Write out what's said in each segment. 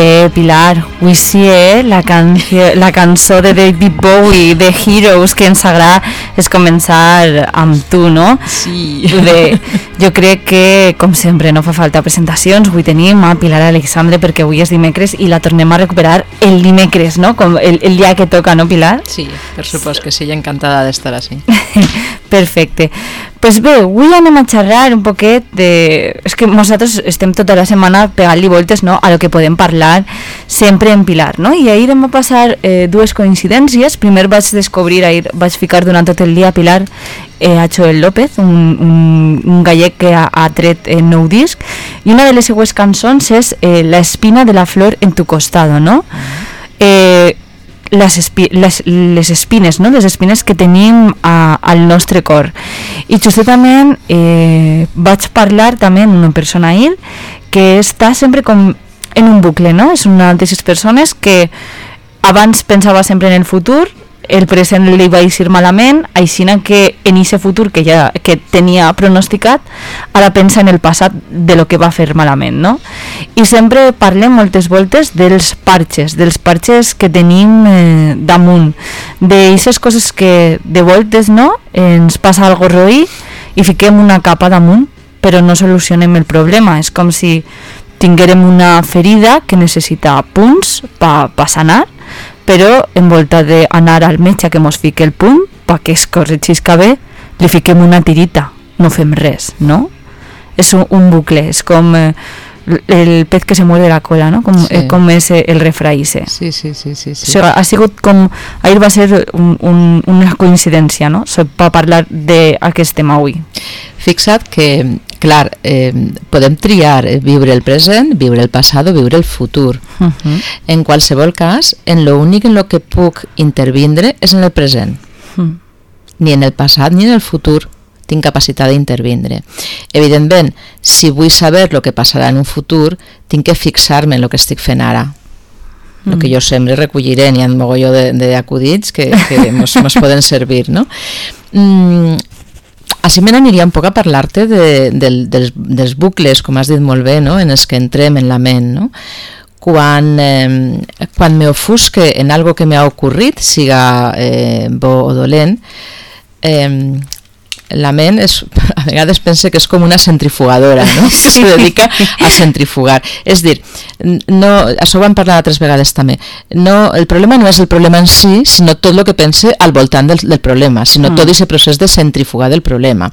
Bé, Pilar, avui sí, la cançó de David Bowie, de Heroes, que ens agrada és començar amb tu, no? Sí. Bé, jo crec que, com sempre, no fa falta presentacions. Avui tenim a Pilar Alexandre perquè avui és dimecres i la tornem a recuperar el dimecres, no? Com el dia que toca, no, Pilar? Sí, per supost que sí, encantada d'estar així. Perfecte. Pues bé, avui anem a xerrar un poquet de... És que nosaltres estem tota la setmana pegant-li voltes, no?, a lo que podem parlar sempre en Pilar, no? I ahir em va passar dues coincidències. Primer vaig descobrir, ahir vaig ficar durant tot el dia a Pilar a Joel López, un gallec que ha tret nou disc, i una de les seues cançons és La espina de la flor en tu costado, no? Les espines, no? Les espines que tenim al nostre cor. I justament vaig parlar també amb una persona ahir que està sempre com en un bucle, no? És una d'aquestes persones que abans pensava sempre en el futur, el present li va eixir malament, així que en aquest futur que tenia pronosticat, ara pensa en el passat de lo que va fer malament, no? I sempre parlem moltes voltes dels parxes que tenim damunt, d'aquestes coses que de voltes, no?, ens passa algo roí i fiquem una capa damunt, però no solucionem el problema. És com si tinguérem una ferida que necessita punts per sanar, però en volta d'anar al metge que mos fique el punt perquè es corregisca bé, li fiquem una tirita, no fem res, no? És un bucle, és com el pez que se muerde la cola, no? Com és el refraïse. Sí. Ha sigut com... Ahir va ser una coincidència, no?, per parlar d'aquest tema avui. Fixa't que, clar, podem triar viure el present, viure el passat o viure el futur. En qualsevol cas, en lo únic en lo que puc intervindre és en el present. Ni en el passat ni en el futur tinc capacitat d'intervindre. Evidentment, si vull saber el que passarà en un futur, tinc que fixar-me en el que estic fent ara. El que jo sempre recolliré, n'hi ha un mogolló d'acudits que mos poden servir, no? Així me n'aniria un poc a parlar-te dels bucles, com has dit molt bé, no?, en els que entrem en la ment, no? Quan me ofusque en algo que m'ha ocorrit, siga bo o dolent, la ment a vegades pensa que és com una centrifugadora, no? Que se dedica a centrifugar. És dir, això ho vam parlar altres vegades també, el problema no és el problema en si, sinó tot el que pense al voltant del problema, sinó tot aquest procés de centrifugar del problema.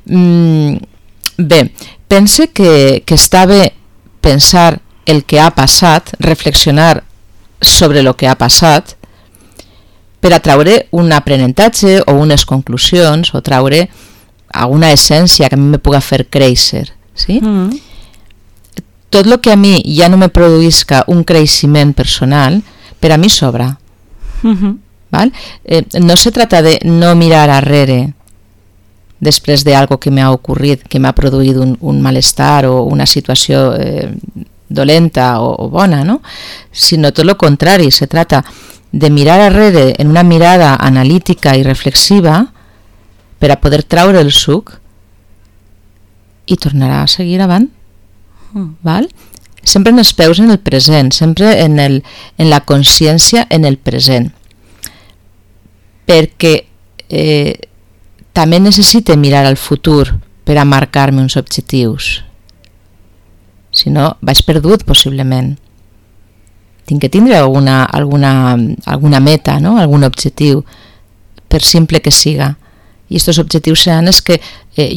Bé, pense que està bé pensar el que ha passat, reflexionar sobre el que ha passat, per a traure un aprenentatge o unes conclusions o traure alguna essència que a mi me puga fer créixer, sí? Tot el que a mi ja no me produïsca un creixement personal, per a mi sobra. ¿Val? No se trata de no mirar arrere després d'algo que m'ha ocorrit, que m'ha produït un malestar o una situació dolenta o bona, no? Sinó tot el contrari, se trata de mirar arrere en una mirada analítica i reflexiva per a poder traure el suc i tornar a seguir avant. Val? Sempre en els peus en el present, sempre en la consciència en el present. Perquè també necessite mirar al futur per a marcar-me uns objectius. Si no, vaig perdut possiblement. Tinc que tindre alguna meta, no?, algun objectiu, per simple que siga. I aquests objectius seran els que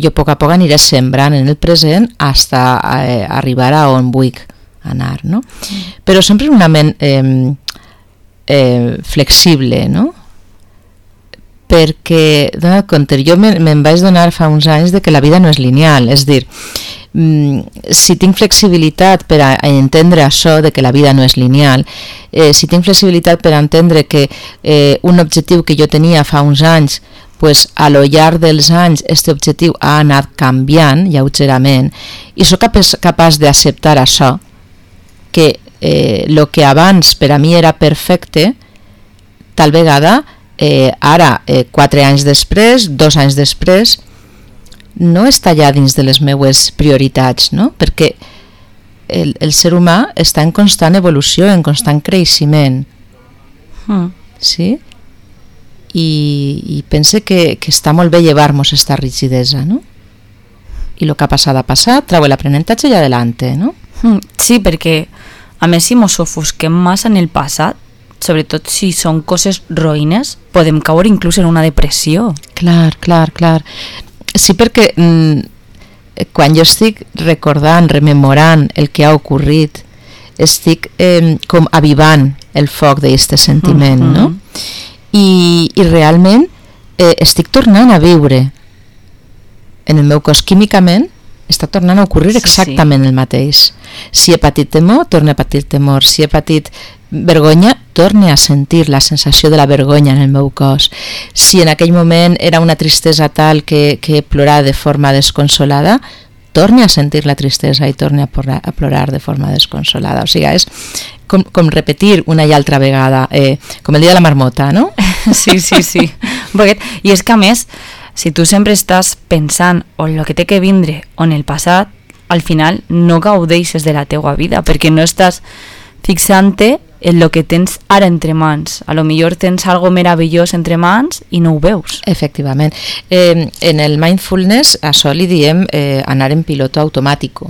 jo a poc aniré sembrant en el present fins a arribar a on vull anar, no? Però sempre una ment flexible, no? Perquè, dona compte, jo me'n vaig donar fa uns anys de que la vida no és lineal, és dir, si tinc flexibilitat per a entendre això de que la vida no és lineal, si tinc flexibilitat per a entendre que un objectiu que jo tenia fa uns anys, pues, a lo llarg dels anys aquest objectiu ha anat canviant lleugerament i soc capaç d'acceptar això, que el que abans per a mi era perfecte, tal vegada ara, 4 anys després, 2 anys després, no està ja dins de les meues prioritats, no? Perquè el ser humà està en constant evolució, en constant creixement. Sí? I pense que està molt bé llevar-nos esta rigidesa, no? I el que ha passat, trau l'aprenentatge i adelante, no? Sí, perquè a més si mos ofusquem massa en el passat, sobretot si són coses roïnes, podem caure inclús en una depressió. Clar. Sí, perquè quan jo estic recordant, rememorant el que ha ocorrit, estic com avivant el foc d'aquest sentiment, no? I realment estic tornant a viure en el meu cos químicament, està tornant a ocorrir exactament el mateix. Si he patit temor, torno a patir temor. Si he patit vergonya, torne a sentir la sensació de la vergonya en el meu cos. Si en aquell moment era una tristesa tal que plorava de forma desconsolada, torne a sentir la tristesa i torne a plorar de forma desconsolada. O sigui, és com repetir una i altra vegada, com el dia de la marmota, no? Sí. I és que a més, si tu sempre estàs pensant en el que té que vindre o en el passat, al final no gaudeixes de la teua vida, perquè no estàs fixant-te en el que tens ara entre mans. A lo millor tens algo meravellós entre mans i no ho veus. Efectivament. En el mindfulness això li diem anar en piloto automàtico.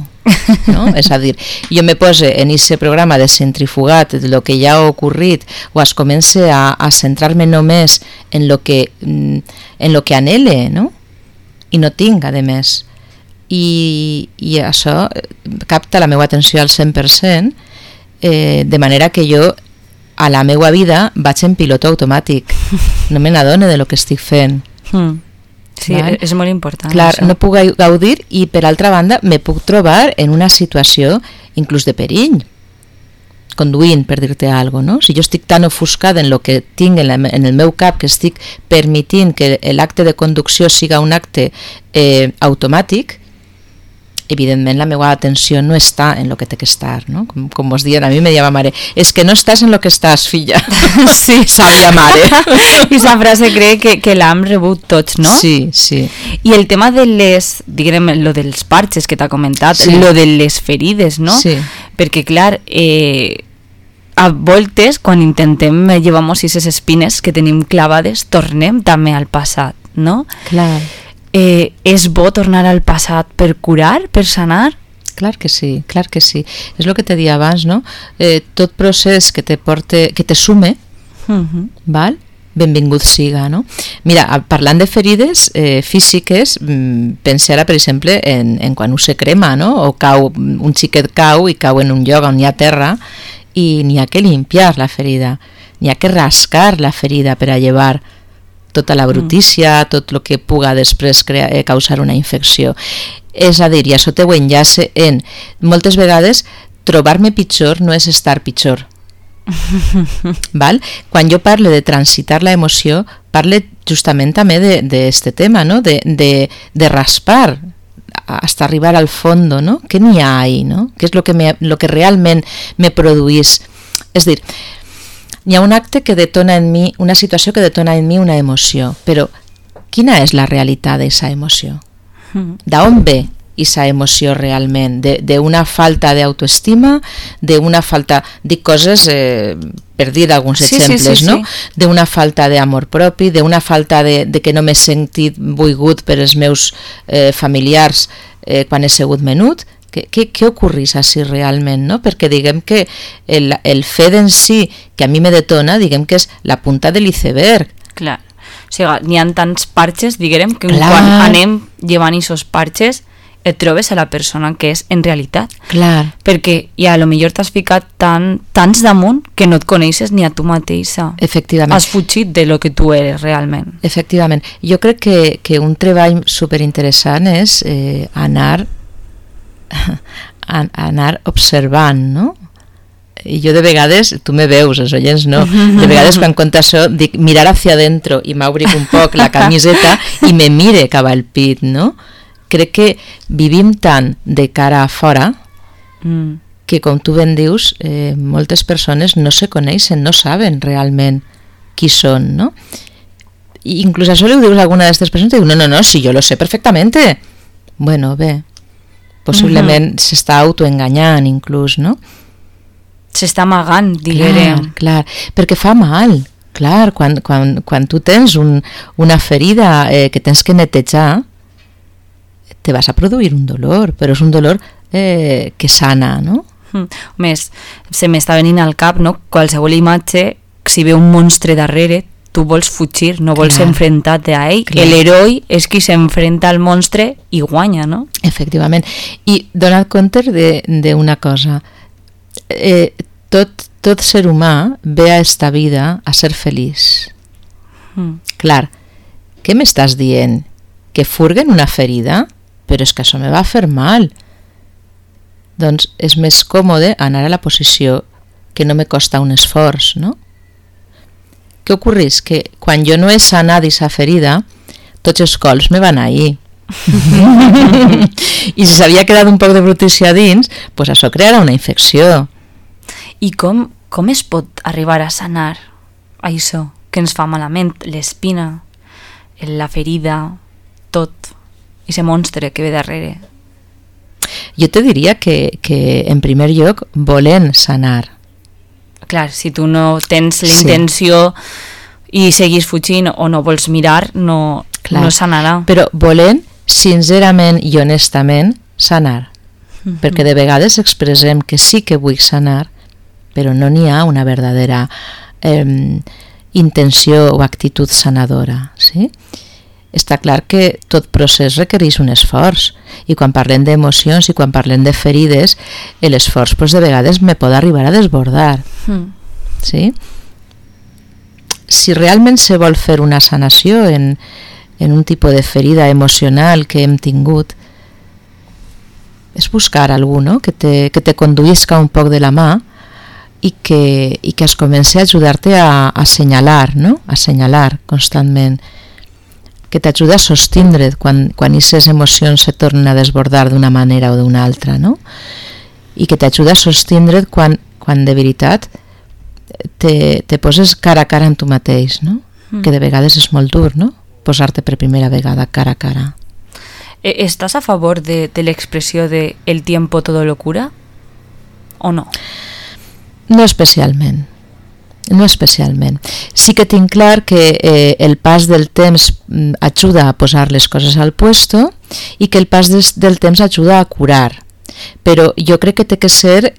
No? És a dir, jo me pose en aquest programa de centrifugat de lo que ja ha ocorrit o es comence a centrar-me només en lo que anhele, no? I no tinc, a més. I això capta la meva atenció al 100%, de manera que jo a la meva vida vaig en piloto automàtic, no me n'adone de lo que estic fent. Sí, val? És molt important. Clar, això. no puc gaudir i per altra banda me puc trobar en una situació inclús de perill, conduint, per dir-te alguna cosa, no? Si jo estic tan ofuscada en el que tinc en el meu cap que estic permitint que l'acte de conducció siga un acte automàtic, evidentment la meva atenció no està en lo que té que estar, no? Com vos diuen, a mi me deia ma mare, és que no estàs en lo que estàs, filla. Sí, sabe la mare. I esa frase crec que l'hem rebut tots, no? Sí. I el tema de diguem, lo dels parxes que t'ha comentat, sí. Lo de les ferides, no? Sí. Perquè, clar, a voltes, quan intentem llevar-nos aquestes espines que tenim clavades, tornem també al passat, no? Clar. És bo tornar al passat per curar, per sanar? Clar que sí. És el que te deia abans, no? Tot procés que te sume, val? Benvingut siga, no? Mira, parlant de ferides físiques, pense ara, per exemple, en quan se crema, no? O un xiquet cau i cau en un lloc on hi ha terra i n'hi ha que limpiar la ferida, n'hi ha que rascar la ferida per a llevar tota la brutícia, tot el que puga després causar una infecció. És a dir, i això te ho enllace en moltes vegades trobar-me pitjor no és estar pitjor. Val? Quan jo parlo de transitar la emoció, parlo justament també d'este tema, no? de raspar hasta arribar al fondo, no? Què n'hi ha ahí, no? Què és lo que realment me produís? És dir, hi ha un acte que detona en mi, una situació que detona en mi una emoció, però quina és la realitat d'aquesta emoció? D'on ve aquesta emoció realment? D'una falta d'autoestima, d'una falta, dic coses per dir alguns exemples, no? D'una falta d'amor propi, d'una falta de que no m'he sentit volgut per els meus familiars quan he sigut menut. Què ocorrís així realment, no? Perquè diguem que el fet en si que a mi me detona, diguem que és la punta de l'iceberg. Clar, o sigui, n'hi ha tants parxes, diguem, que quan anem llevant aquests parxes et trobes a la persona que és en realitat. Clar. Perquè ja a lo millor t'has ficat tants damunt que no et coneixes ni a tu mateixa. Efectivament. Has fugit de lo que tu eres realment. Efectivament. Jo crec que un treball superinteressant és anar observant, no? I jo de vegades, tu me veus, els oients no, de vegades quan conto això dic mirar hacia adentro i m'obric un poc la camiseta i me mire cap al pit, no? Crec que vivim tant de cara a fora que, com tu ben dius, moltes persones no se coneixen, no saben realment qui són, no? I inclús això li ho dius a alguna d'aquestes persones i diu, no, si jo lo sé perfectamente. Bueno, bé, Possiblement s'està autoenganyant inclús, no? S'està amagant, diguérem. Clar, perquè fa mal. Clar, quan tu tens una ferida que tens que netejar, te vas a produir un dolor, però és un dolor que sana, no? Més, se m'està venint al cap, no? Qualsevol imatge, si ve un monstre darrere, tu vols fugir, no vols enfrontar-te a ell. L'heroi és qui s'enfrenta al monstre i guanya, no? Efectivament. I dona't compte d'una cosa. Tot ser humà ve a esta vida a ser feliç. Clar, què m'estàs dient? Que furguen una ferida? Però és que això me va fer mal. Doncs és més còmode anar a la posició que no me costa un esforç, no? Què ocorreix? Que quan jo no he sanat aquesta ferida, tots els cols me van ahir. I si s'havia quedat un poc de brutícia dins, doncs això crearà una infecció. I com es pot arribar a sanar això que ens fa malament? L'espina, la ferida, tot, i ese monstre que ve darrere. Jo te diria que en primer lloc volent sanar. Clar, si tu no tens la intenció i seguis fugint o no vols mirar, no sanarà. Però volent sincerament i honestament sanar. Perquè de vegades expressem que sí que vull sanar, però no n'hi ha una verdadera intenció o actitud sanadora, sí? Està clar que tot procés requereix un esforç, i quan parlem d'emocions i quan parlem de ferides, l'esforç de vegades me pot arribar a desbordar. Sí? Si realment se vol fer una sanació en un tipus de ferida emocional que hem tingut, és buscar algú, no? que te conduïsca un poc de la mà i que es comenci a ajudar-te a assenyalar, no? A assenyalar constantment, que t'ajuda a sostindre't quan aquestes emocions se tornen a desbordar d'una manera o d'una altra, no? I que t'ajuda a sostindre't quan de veritat te poses cara a cara amb tu mateix, no? Que de vegades és molt dur, no? Posar-te per primera vegada cara a cara. ¿Estás a favor de l'expressió de el tiempo todo lo cura o no? No especialment. No especialment. Sí que tinc clar que el pas del temps ajuda a posar les coses al puesto i que el pas del temps ajuda a curar. Però jo crec que té que ser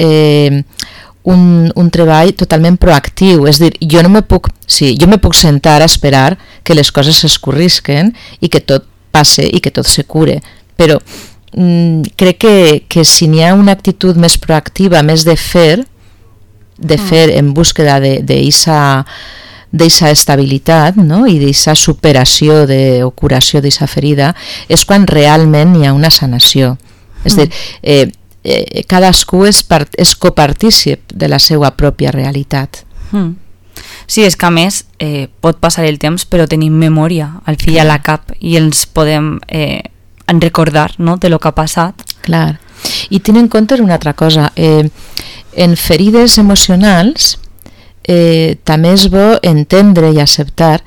un treball totalment proactiu. És a dir, jo me puc sentar a esperar que les coses s'escorrisquen i que tot passe i que tot se cure. Però crec que si n'hi ha una actitud més proactiva, més de fer en búsqueda d'eixa estabilitat, no? I d'eixa superació o curació d'eixa ferida, és quan realment hi ha una sanació. És a dir, cadascú és copartícip de la seva pròpia realitat. Sí, és que a més pot passar el temps però tenim memòria al fill a la cap i ens podem recordar, no?, de lo que ha passat. Clar. I tenint en compte una altra cosa, en ferides emocionals també és bo entendre i acceptar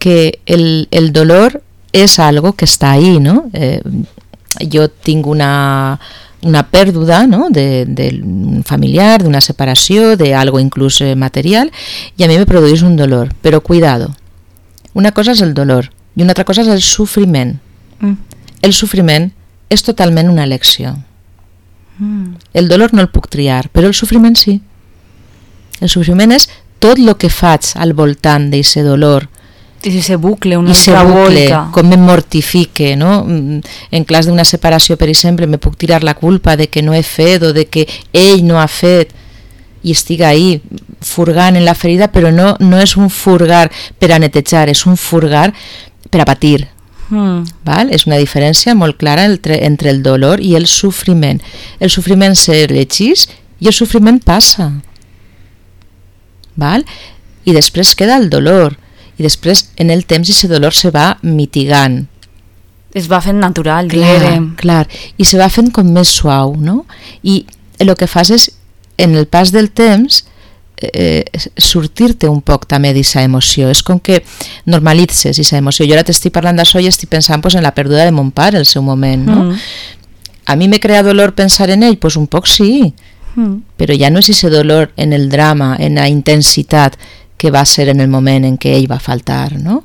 que el dolor és algo que està ahí, no? Jo tinc una pèrdua, no?, d'un familiar, d'una separació, d'algo inclús material, i a mi me produeix un dolor. Però cuidado, una cosa és el dolor i una altra cosa és el sofriment. El sofriment és totalment una elecció. El dolor no el puc triar, però el sofriment sí. El sofriment és tot el que faig al voltant d'aquest dolor. I se bucle, una altra volta. Com em mortifique, no? En cas d'una separació, per exemple, me puc tirar la culpa de que no he fet o de que ell no ha fet i estic ahí furgant en la ferida, però no és un furgar per a netejar, és un furgar per a patir. Val? És una diferència molt clara entre el dolor i el sofriment. El sofriment s'elegeix i el sofriment passa. Val? I després queda el dolor. I després, en el temps, aquest dolor se va mitigant. Es va fent natural, clar. I se va fent com més suau, no? I el que fas és, en el pas del temps, sortir-te un poc també d'aquesta emoció. És com que normalitzes aquesta emoció. Jo ara t'estic parlant d'això i estic pensant en la pèrdua de mon pare al seu moment, no? a mi me crea dolor pensar en ell, pues un poc sí, però ja no és ese dolor en el drama, en la intensitat que va ser en el moment en què ell va faltar, no?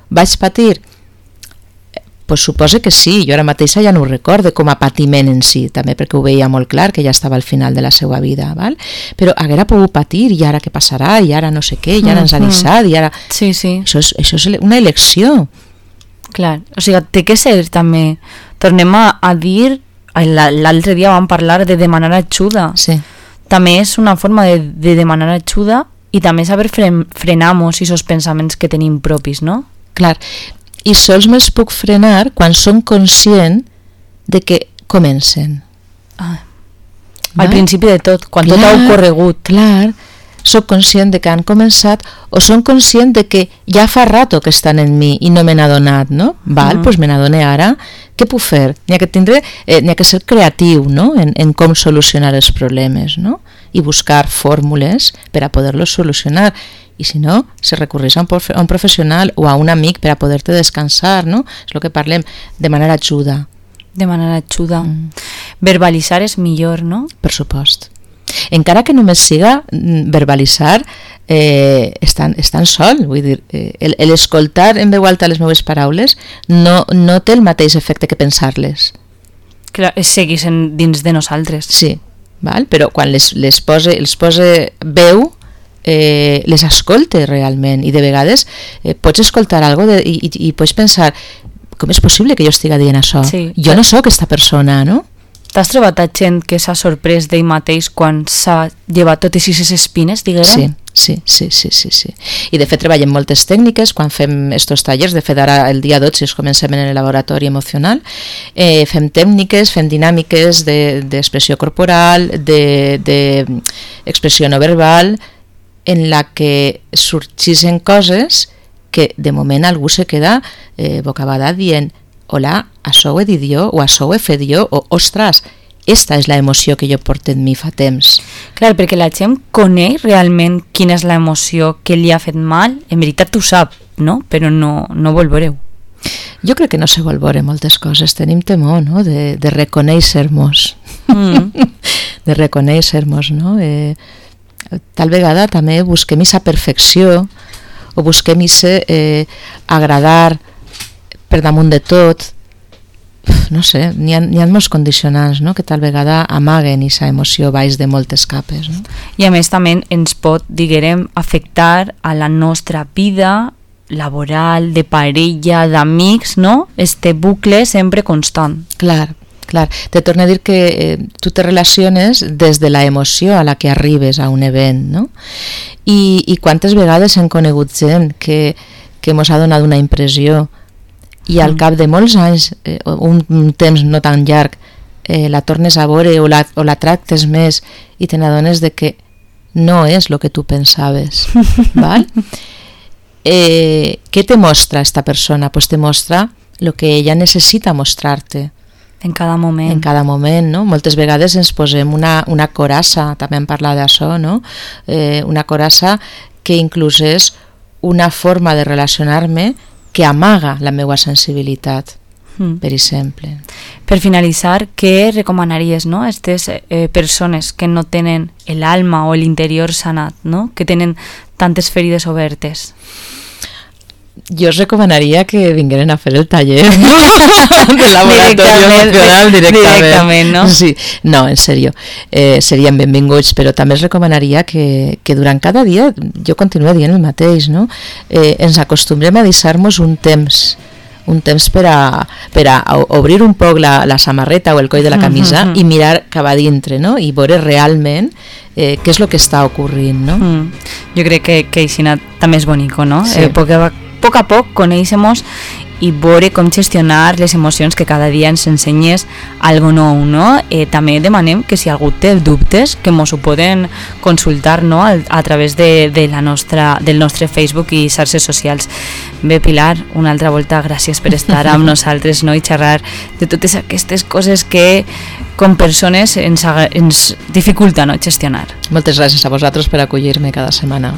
Vaig patir? Pues suposo que sí, jo ara mateixa ja no ho recorde com a patiment en si, també perquè ho veia molt clar que ja estava al final de la seva vida, val? Però haguera pogut patir, i ara què passarà, i ara no sé què, i ara ens ha deixat, i ara... Sí, sí. Això és una elecció. Clar, o sigui, té que ser també, tornem a dir, l'altre dia vam parlar de demanar ajuda, sí. També és una forma de demanar ajuda i també saber frenar-nos esos pensaments que tenim propis, no? Clar, i sols me'ls puc frenar quan som conscient de que comencen. Al principi de tot, quan tot ha ocorregut. Clar, soc conscient de que han començat o som conscient de que ja fa rato que estan en mi i no me n'ha donat, no? Val, doncs me n'adone ara. Què puc fer? N'hi ha que ser creatiu, no? En com solucionar els problemes, no? I buscar fórmules per a poder-los solucionar. I si no, se recorreix a un professional o a un amic per a poder-te descansar, no? És el que parlem, demanar ajuda. Demanar ajuda. Verbalitzar és millor, no? Per supost. Encara que només siga verbalitzar, estan sol, vull dir, l'escoltar en veu alta les meves paraules no té el mateix efecte que pensar-les. Clar, seguís dins de nosaltres. Sí, val? Però quan els pose veu, les escolte realment, i de vegades pots escoltar alguna cosa i pots pensar, com és possible que jo estigui dient això? Sí. Jo no sóc aquesta persona, no? T'has trobat a gent que s'ha sorprès d'ell mateix quan s'ha llevat totes aquestes espines, diguem? Sí. I de fet treballem moltes tècniques quan fem estos tallers. De fet ara el dia 12 comencem en el laboratori emocional. Fem tècniques, fem dinàmiques d'expressió corporal, d'expressió no verbal, en la que sorgeixen coses que de moment algú se queda bocabadat dient hola, això ho he dit jo, o això ho he fet jo, o ostres, esta és la emoció que jo porto en mi fa temps. Clar, perquè la gent coneix realment quina és la emoció que li ha fet mal, en veritat ho sap, no? Però no vol veure-ho. Jo crec que no se vol veure moltes coses, tenim temor, no?, de reconèixer-nos. De reconèixer-nos, no? Tal vegada també busquem aquesta perfecció, o busquem agradar per damunt de tot, no sé, n'hi ha molts condicionants, no?, que tal vegada amaguen aquesta emoció baix de moltes capes, no? I a més també ens pot, diguem, afectar a la nostra vida laboral, de parella, d'amics, no? Este bucle sempre constant. Clar. Te torno a dir que tu te relaciones des de la emoció a la que arribes a un event, no? I quantes vegades hem conegut gent que mos ha donat una impressió i al cap de molts anys, un temps no tan llarg, la tornes a veure o la tractes més i te n'adones de que no és el que tu pensaves. Val? Què te mostra esta persona? Pues te mostra el que ella necessita mostrar-te. En cada moment. En cada moment, no? Moltes vegades ens posem una coraça, també hem parlat d'això, no? Una coraça que inclús és una forma de relacionar-me que amaga la meva sensibilitat, per exemple. Per finalitzar, què recomanaries, no?, a aquestes persones que no tenen l'alma o l'interior sanat, no?, que tenen tantes ferides obertes? Jo us recomanaria que vingueren a fer el taller de laboratori emocional directament, no? Sí, no, en sèrio, serien benvinguts, però també els recomanaria que durant cada dia, jo continuo dient el mateix, no? Ens acostumbrem a deixar-nos un temps per a obrir un poc la samarreta o el coll de la camisa i mirar cap a dintre, no? I veure realment què és el que està ocorrint, no? Jo crec que així també és bonico, no? Sí. Poc a poc conèixer-nos i veure com gestionar les emocions, que cada dia ens ensenyes algo nou, no? També demanem que si algú té dubtes, que mos ho poden consultar, no?, a través del nostre Facebook i xarxes socials. Bé, Pilar, una altra volta gràcies per estar amb nosaltres, no?, i xerrar de totes aquestes coses que com persones ens dificulta, no?, gestionar. Moltes gràcies a vosaltres per acollir-me cada setmana.